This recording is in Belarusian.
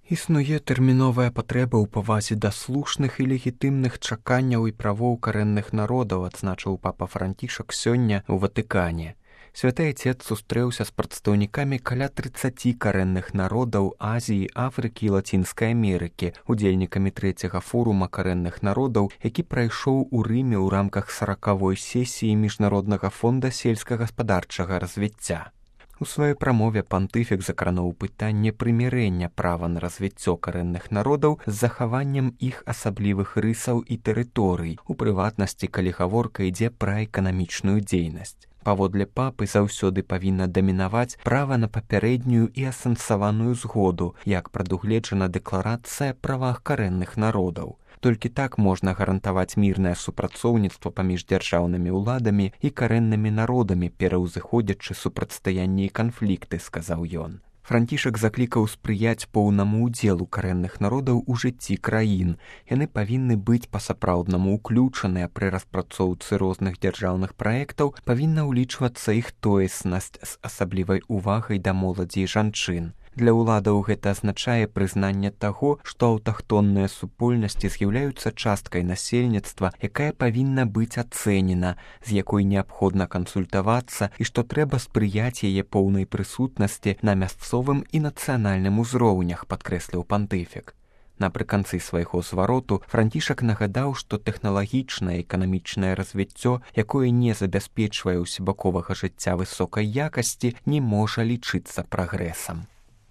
Існуе тэрміновая патрэба ў павазе да слушных і легітымных чаканняў і правоў карэнных народаў, адзначыў папа Францішак сёння ў Ватыкане. Святы Отец сустрэўся з прадстаўнікамі каля 30 карэнных народаў Азіі, Афрыкі і Лацінскай Амерыкі, удзельнікамі 3-го форума карэнных народаў, які прайшоў у Рыме ў рамках 40-й сесіі Міжнароднага фонда сельскагаспадарчага развіцця. У сваёй прамове пантыфік закрануў пытанне прымірэння права на развіццё карэнных народаў з захаваннем іх асаблівых рысаў і тэрыторый, у прыватнасці, калі гаворка ідзе пра эканамічную дзейнасць. Паводле папы заўсёды павінна дамінаваць права на папярэднюю і асэнсаваную згоду, як прадугледжана дэкларацыя правах карэнных народаў. Толькі так можна гарантаваць мірнае супрацоўніцтва паміж дзяржаўнымі ўладамі і карэннымі народамі, пераўзыходзячы супрацьстаянні і канфлікты, сказаў ён. Францішак заклікаў спрыяць поўнаму ўдзелу карэнных народаў у жыцці краін. Яны павінны быць па-сапраўднаму ўключаныя пры распрацоўцы розных дзяржаўных праектаў, павінна ўлічвацца іх тоеснасць з асаблівай увагай да моладзі і жанчын. Для ўладаў гэта азначае прызнанне таго, што аўтахтонныя супольнасці з'яўляюцца часткай насельніцтва, якая павінна быць ацэнена, з якой неабходна кансультавацца і што трэба спрыяць яе поўнай прысутнасці на мясцовым і нацыянальным узроўнях, падкрэсліў пантыфік. Напрыканцы свайго звароту Францішак нагадаў, што тэхналагічнае і эканамічнае развіццё, якое не забяспечвае ўсебаковага жыцця высокай якасці, не можа лічыцца прагрэсам.